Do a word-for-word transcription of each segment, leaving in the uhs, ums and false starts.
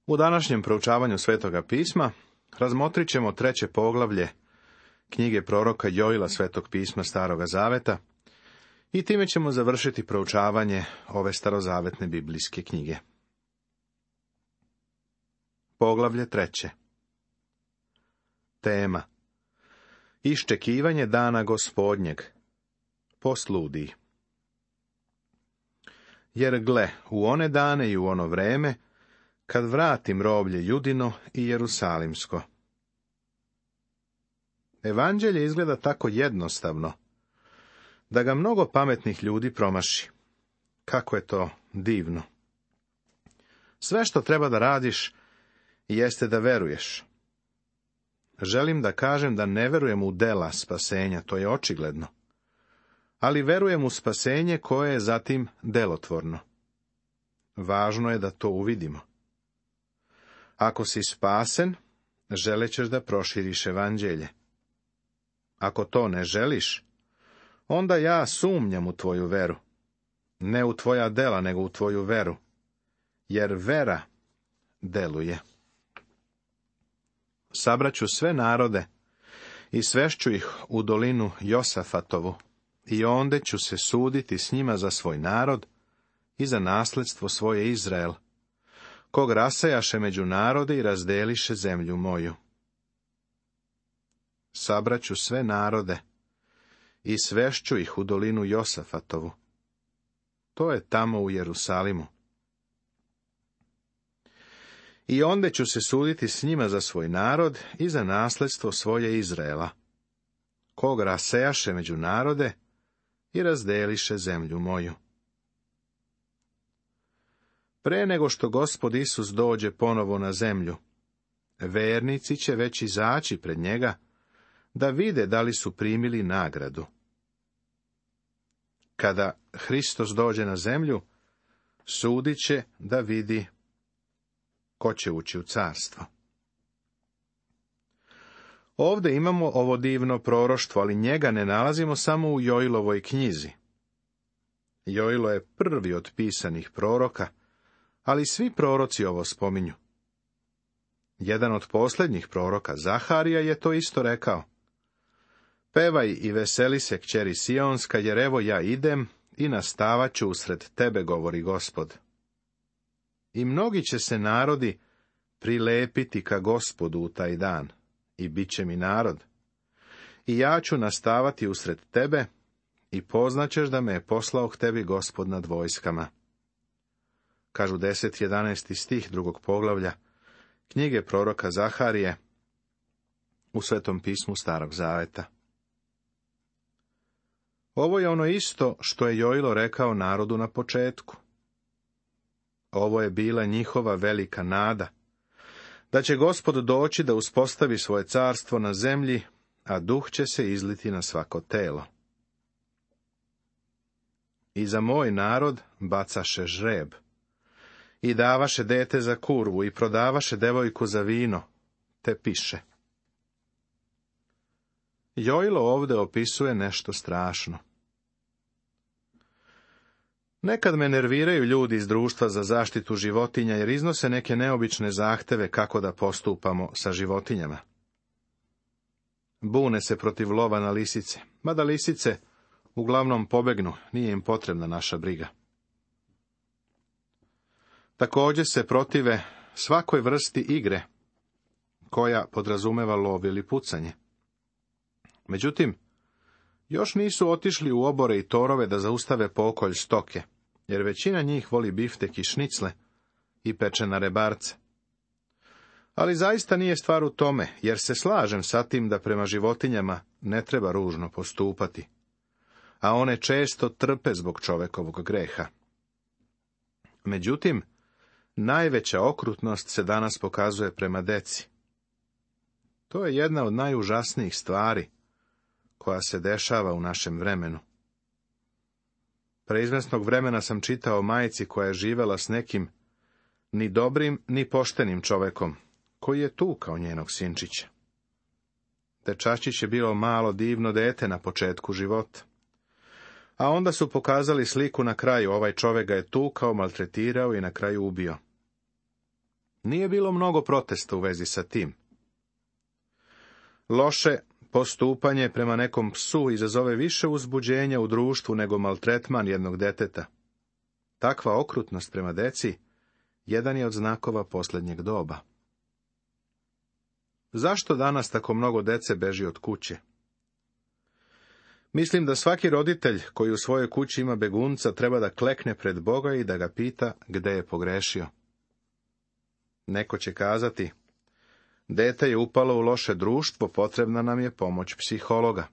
U današnjem proučavanju Svetoga pisma razmotrit ćemo treće poglavlje knjige proroka Joila Svetog pisma Staroga zaveta i time ćemo završiti proučavanje ove starozavetne biblijske knjige. Poglavlje treće. Tema: Iščekivanje dana Gospodnjeg. Posludij. Jer gle, u one dane i u ono vreme, kad vratim roblje Judino i Jerusalimsko. Evanđelje izgleda tako jednostavno, da ga mnogo pametnih ljudi promaši. Kako je to divno. Sve što treba da radiš, jeste da veruješ. Želim da kažem da ne verujem u dela spasenja, to je očigledno. Ali verujem u spasenje koje je zatim delotvorno. Važno je da to uvidimo. Ako si spasen, želećeš da proširiš evanđelje. Ako to ne želiš, onda ja sumnjam u tvoju veru. Ne u tvoja dela, nego u tvoju veru. Jer vera deluje. Sabraću sve narode i svešću ih u dolinu Josafatovu, i onde ću se suditi s njima za svoj narod i za nasledstvo svoje Izrael, kog rasejaše među narode i razdeliše zemlju moju. Sabraću sve narode i svešću ih u dolinu Josafatovu. To je tamo u Jerusalimu. I onde ću se suditi s njima za svoj narod i za nasledstvo svoje Izraela, kog rasejaše među narode i razdeliše zemlju moju. Pre nego što Gospod Isus dođe ponovo na zemlju, vernici će već izaći pred njega, da vide da li su primili nagradu. Kada Hristos dođe na zemlju, sudit će da vidi ko će ući u carstvo. Ovde imamo ovo divno proroštvo, ali njega ne nalazimo samo u Joilovoj knjizi. Joilo je prvi od pisanih proroka, ali svi proroci ovo spominju. Jedan od posljednjih proroka, Zaharija, je to isto rekao. Pevaj i veseli se, kćeri Sionska, jer evo ja idem i nastavat ću usred tebe, govori Gospod. I mnogi će se narodi prilepiti ka Gospodu u taj dan, i bit će mi narod. I ja ću nastavati usred tebe, i poznaćeš da me je poslao k tebi Gospod nad vojskama. Kažu deset jedanaesti stih drugog poglavlja knjige proroka Zaharije u Svetom pismu Starog zaveta. Ovo je ono isto što je Joilo rekao narodu na početku. Ovo je bila njihova velika nada, da će Gospod doći da uspostavi svoje carstvo na zemlji, a duh će se izliti na svako telo. I za moj narod bacaše žreb, i davaše dete za kurvu, i prodavaše devojku za vino, te piše. Joilo ovde opisuje nešto strašno. Nekad me nerviraju ljudi iz društva za zaštitu životinja, jer iznose neke neobične zahteve kako da postupamo sa životinjama. Bune se protiv lova na lisice, mada lisice uglavnom pobegnu, nije im potrebna naša briga. Također se protive svakoj vrsti igre, koja podrazumeva lov ili pucanje. Međutim, još nisu otišli u obore i torove da zaustave pokolj stoke, jer većina njih voli biftek i šnicle i pečena rebarce. Ali zaista nije stvar u tome, jer se slažem sa tim da prema životinjama ne treba ružno postupati, a one često trpe zbog čovekovog greha. Međutim, najveća okrutnost se danas pokazuje prema deci. To je jedna od najužasnijih stvari koja se dešava u našem vremenu. Pre izvesnog vremena sam čitao o majci koja je živela s nekim ni dobrim, ni poštenim čovekom, koji je tukao njenog sinčića. Dečačić je bilo malo divno dete na početku života. A onda su pokazali sliku na kraju, ovaj čovek ga je tukao, maltretirao i na kraju ubio. Nije bilo mnogo protesta u vezi sa tim. Loše postupanje prema nekom psu izazove više uzbuđenja u društvu nego maltretman jednog deteta. Takva okrutnost prema deci jedan je od znakova posljednjeg doba. Zašto danas tako mnogo dece beži od kuće? Mislim da svaki roditelj koji u svojoj kući ima begunca treba da klekne pred Boga i da ga pita gde je pogrešio. Neko će kazati, dete je upalo u loše društvo, potrebna nam je pomoć psihologa.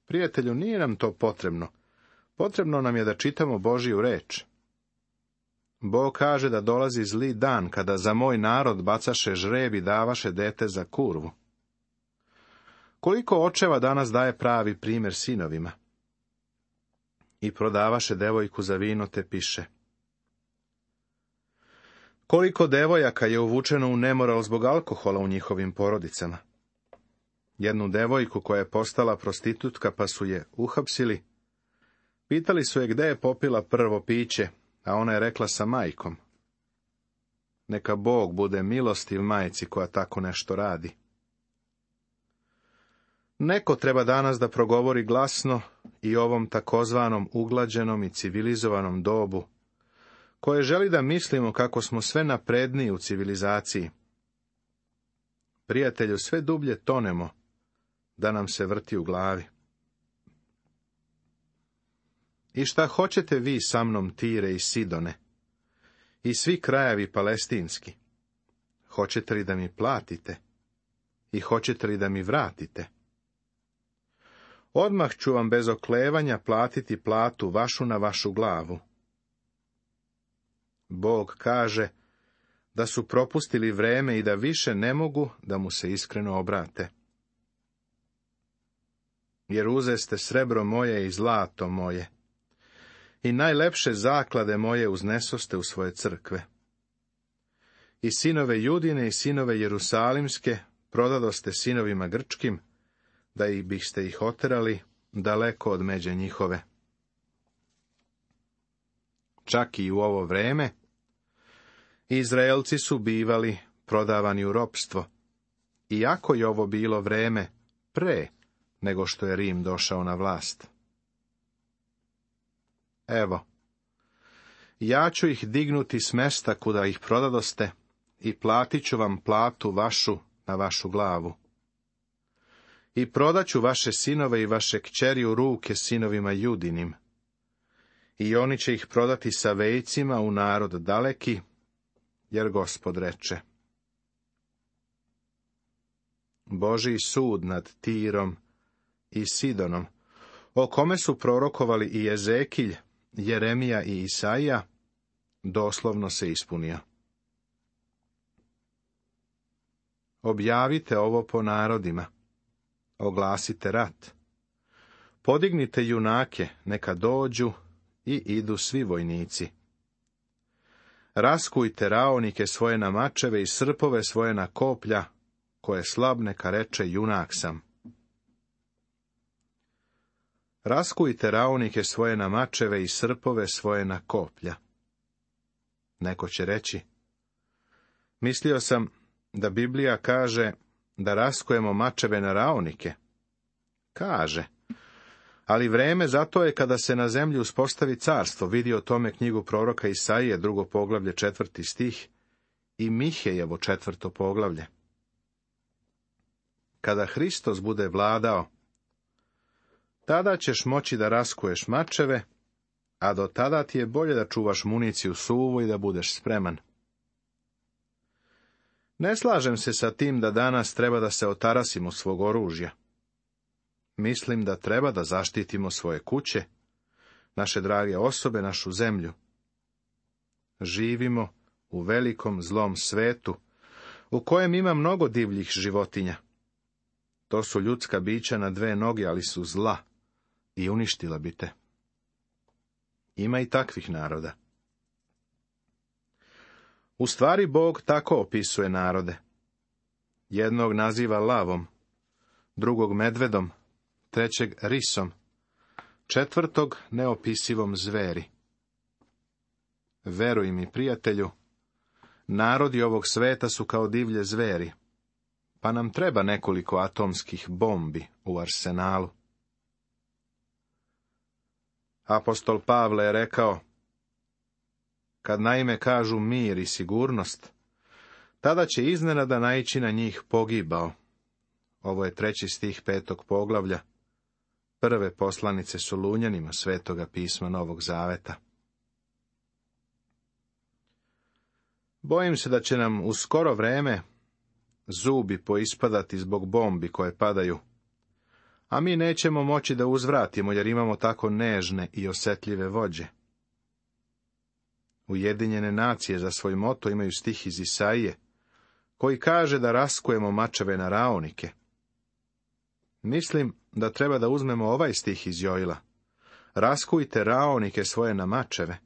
Prijatelju, nije nam to potrebno. Potrebno nam je da čitamo Božju reč. Bog kaže da dolazi zli dan kada za moj narod bacaše žreb i davaše dete za kurvu. Koliko očeva danas daje pravi primjer sinovima? I prodavaše devojku za vino te piše. Koliko devojaka je uvučeno u nemoral zbog alkohola u njihovim porodicama? Jednu devojku koja je postala prostitutka pa su je uhapsili. Pitali su je gde je popila prvo piće, a ona je rekla sa majkom. Neka Bog bude milostiv majci koja tako nešto radi. Neko treba danas da progovori glasno i ovom takozvanom uglađenom i civilizovanom dobu, koje želi da mislimo kako smo sve napredniji u civilizaciji. Prijatelju, sve dublje tonemo, da nam se vrti u glavi. I šta hoćete vi sa mnom, Tire i Sidone, i svi krajevi palestinski? Hoćete li da mi platite? I hoćete li da mi vratite? Odmah ću vam bez oklevanja platiti platu vašu na vašu glavu. Bog kaže da su propustili vreme i da više ne mogu da mu se iskreno obrate. Jer uzeste srebro moje i zlato moje, i najlepše zaklade moje uznesoste u svoje crkve. I sinove Judine i sinove Jerusalimske prodadoste sinovima grčkim, da ih biste ih oterali daleko od međe njihove. Čak i u ovo vreme Izraelci su bivali prodavani u ropstvo, iako je ovo bilo vreme pre nego što je Rim došao na vlast. Evo, ja ću ih dignuti s mesta kuda ih prodadoste i platit ću vam platu vašu na vašu glavu. I prodaću vaše sinove i vaše kćeri u ruke sinovima Judinim. I oni će ih prodati sa vejcima u narod daleki, jer Gospod reče. Božji sud nad Tirom i Sidonom, o kome su prorokovali i Ezekilj, Jeremija i Isaija, doslovno se ispunio. Objavite ovo po narodima, oglasite rat, podignite junake, neka dođu i idu svi vojnici. Raskujte raonike svoje na mačeve i srpove svoje na koplja, koje slab neka reče junak sam. Raskujte raonike svoje na mačeve i srpove svoje na koplja. Neko će reći, mislio sam da Biblija kaže da raskujemo mačeve na raonike. Kaže, ali vreme zato je kada se na zemlji uspostavi carstvo, vidi o tome knjigu proroka Isaije, drugo poglavlje, četvrti stih, i Mihejevo četvrto poglavlje. Kada Hristos bude vladao, tada ćeš moći da raskuješ mačeve, a do tada ti je bolje da čuvaš municiju suvu i da budeš spreman. Ne slažem se sa tim da danas treba da se otarasimo svog oružja. Mislim da treba da zaštitimo svoje kuće, naše drage osobe, našu zemlju. Živimo u velikom zlom svetu, u kojem ima mnogo divljih životinja. To su ljudska bića na dve noge, ali su zla i uništila bi te. Ima i takvih naroda. U stvari Bog tako opisuje narode. Jednog naziva lavom, drugog medvedom, trećeg risom, četvrtog neopisivom zveri. Veruj mi, prijatelju, Narodi ovog sveta su kao divlje zveri, pa nam treba nekoliko atomskih bombi u arsenalu. Apostol Pavle je rekao, kad naime kažu mir i sigurnost, tada će iznenada naići na njih pogibao. Ovo je treći stih petog poglavlja prve poslanice Solunjanima Svetoga pisma Novog Zaveta. Bojim se da će nam u skoro vreme zubi poispadati zbog bombi koje padaju, a mi nećemo moći da uzvratimo jer imamo tako nežne i osjetljive vođe. Ujedinjene nacije za svoj moto imaju stih iz Isaije, koji kaže da raskujemo mačeve na raonike. Mislim da treba da uzmemo ovaj stih iz Joila. Raskujte raonike svoje na mačeve.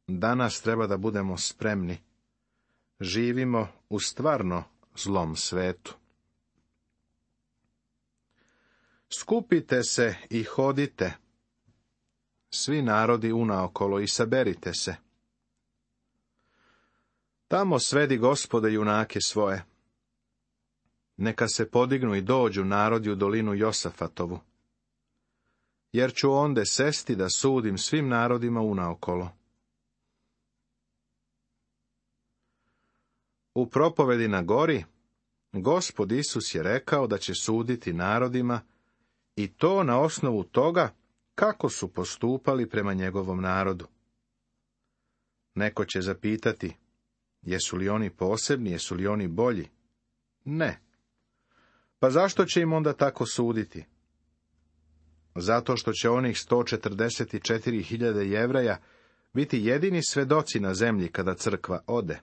Danas treba da budemo spremni. Živimo u stvarno zlom svetu. Skupite se i hodite, svi narodi unaokolo, i saberite se. Tamo svedi Gospode junake svoje. Neka se podignu i dođu narodi u dolinu Josafatovu. Jer ću onde sesti da sudim svim narodima unaokolo. U propovedi na gori, Gospod Isus je rekao da će suditi narodima, i to na osnovu toga kako su postupali prema njegovom narodu. Neko će zapitati, jesu li oni posebni, jesu li oni bolji? Ne. Pa zašto će im onda tako suditi? Zato što će onih sto četrdeset četiri hiljade Jevreja biti jedini svedoci na zemlji kada crkva ode.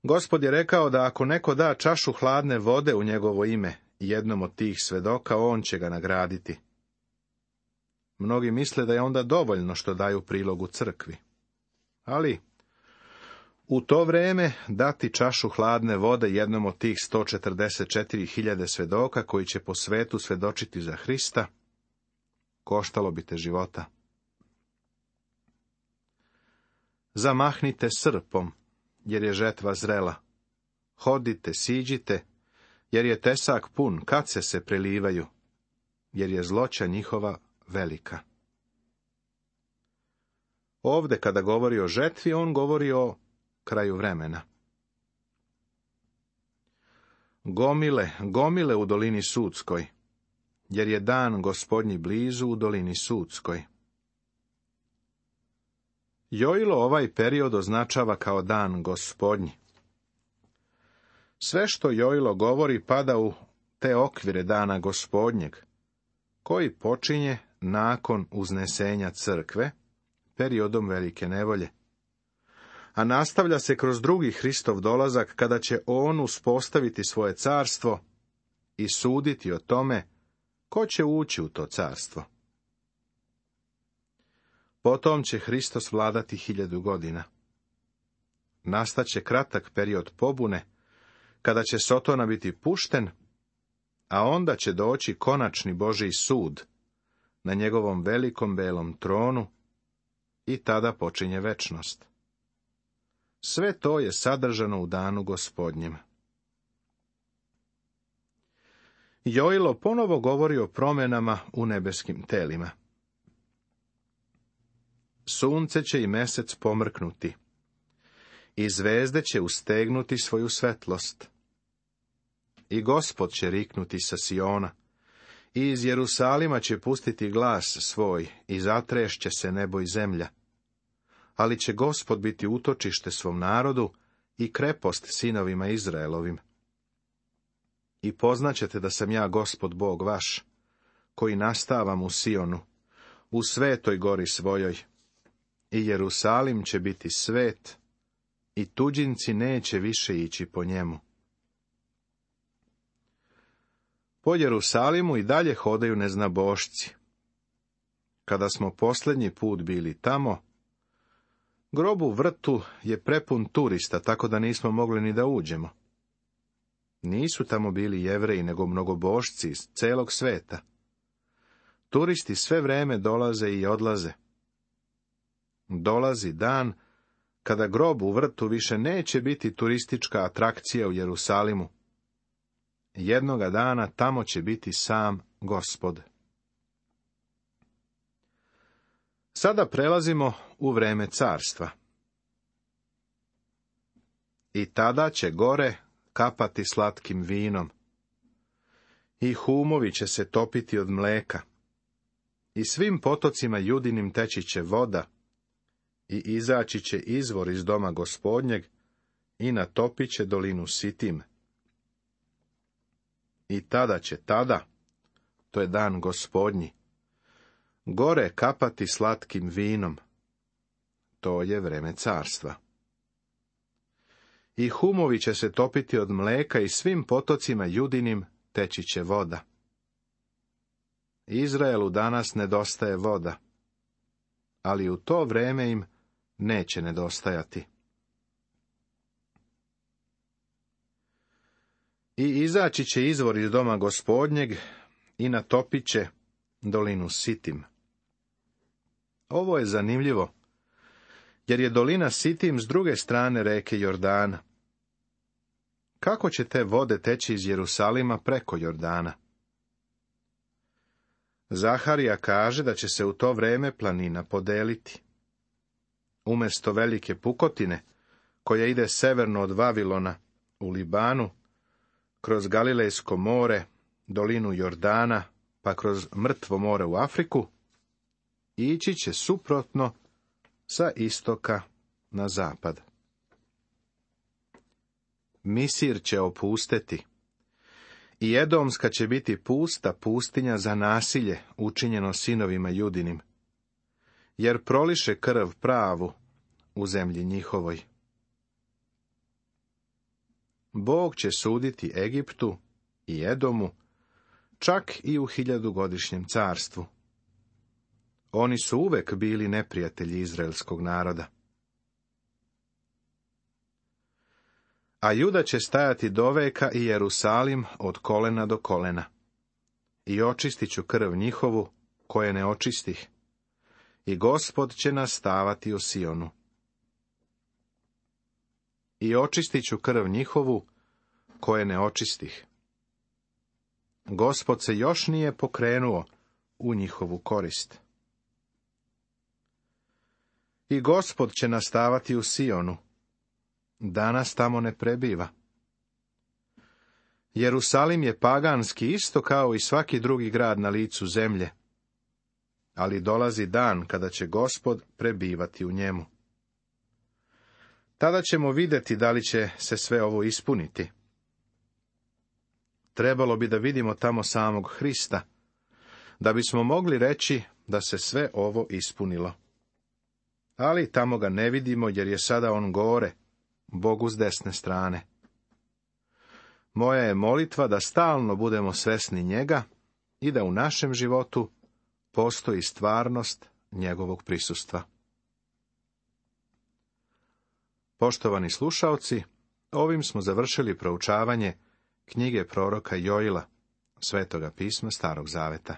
Gospod je rekao da ako neko da čašu hladne vode u njegovo ime jednom od tih svedoka, on će ga nagraditi. Mnogi misle da je onda dovoljno što daju prilog u crkvi. Ali, u to vrijeme dati čašu hladne vode jednom od tih sto četrdeset četiri hiljade svedoka koji će po svetu svedočiti za Hrista, koštalo bi te života. Zamahnite srpom, jer je žetva zrela. Hodite, siđite, jer je tesak pun, kad se se prelivaju, jer je zloća njihova velika. Ovde, kada govori o žetvi, on govori o kraju vremena. Gomile, gomile u dolini Sudskoj, jer je dan Gospodnji blizu u dolini Sudskoj. Joilo ovaj period označava kao dan Gospodnji. Sve što Joilo govori pada u te okvire dana Gospodnjeg, koji počinje nakon uznesenja crkve, periodom velike nevolje. A nastavlja se kroz drugi Hristov dolazak, kada će on uspostaviti svoje carstvo i suditi o tome ko će ući u to carstvo. Potom će Hristos vladati hiljadu godina. Nastaće kratak period pobune, kada će Sotona biti pušten, a onda će doći konačni Božji sud na njegovom velikom belom tronu i tada počinje večnost. Sve to je sadržano u danu Gospodnjem. Joilo ponovo govori o promjenama u nebeskim telima. Sunce će i mesec pomrknuti, i zvezde će ustegnuti svoju svetlost. I Gospod će riknuti sa Siona, i iz Jerusalima će pustiti glas svoj, i zatrešće se nebo i zemlja. Ali će Gospod biti utočište svom narodu i krepost sinovima Izraelovim. I poznaćete da sam ja Gospod Bog vaš, koji nastavam u Sionu, u svetoj gori svojoj. I Jerusalim će biti svet, i tuđinci neće više ići po njemu. Po Jerusalimu i dalje hodaju neznabošci. Kada smo posljednji put bili tamo, grob u vrtu je prepun turista, tako da nismo mogli ni da uđemo. Nisu tamo bili Jevreji, nego mnogobošci iz celog sveta. Turisti sve vreme dolaze i odlaze. Dolazi dan kada grob u vrtu više neće biti turistička atrakcija u Jerusalimu. Jednoga dana tamo će biti sam Gospod. Sada prelazimo u vreme carstva. I tada će gore kapati slatkim vinom, i humovi će se topiti od mleka, i svim potocima judinim teći će voda, i izaći će izvor iz doma Gospodnjeg, i natopit će dolinu Sitim. I tada će tada, to je dan Gospodnji, gore kapati slatkim vinom, to je vreme carstva. I humovi će se topiti od mleka i svim potocima judinim teći će voda. Izraelu danas nedostaje voda, ali u to vreme im neće nedostajati. I izaći će izvor iz doma Gospodnjeg i natopit će dolinu Sitim. Ovo je zanimljivo, jer je dolina Sitim s druge strane reke Jordana. Kako će te vode teći iz Jerusalima preko Jordana? Zaharija kaže da će se u to vreme planina podeliti. Umjesto velike pukotine, koja ide severno od Vavilona u Libanu, kroz Galilejsko more, dolinu Jordana, pa kroz Mrtvo more u Afriku, ići će suprotno sa istoka na zapad. Misir će opusteti, i Edomska će biti pusta pustinja za nasilje učinjeno sinovima Judinim, jer proliše krv pravu u zemlji njihovoj. Bog će suditi Egiptu i Edomu, čak i u hiljadugodišnjem carstvu. Oni su uvek bili neprijatelji izraelskog naroda. A Juda će stajati doveka i Jerusalim od kolena do kolena. I očistit ću krv njihovu, koje ne očistih. I Gospod će nastavati u Sionu. I očistit ću krv njihovu, koje ne očistih. Gospod se još nije pokrenuo u njihovu korist. I Gospod će nastavati u Sionu. Danas tamo ne prebiva. Jerusalim je paganski isto kao i svaki drugi grad na licu zemlje, ali dolazi dan kada će Gospod prebivati u njemu. Tada ćemo vidjeti da li će se sve ovo ispuniti. Trebalo bi da vidimo tamo samog Hrista, da bismo mogli reći da se sve ovo ispunilo. Ali tamo ga ne vidimo, jer je sada on gore, Bogu s desne strane. Moja je molitva da stalno budemo svesni njega i da u našem životu postoji stvarnost njegovog prisustva. Poštovani slušaoci, ovim smo završili proučavanje knjige proroka Joila, Svetoga pisma Starog zaveta.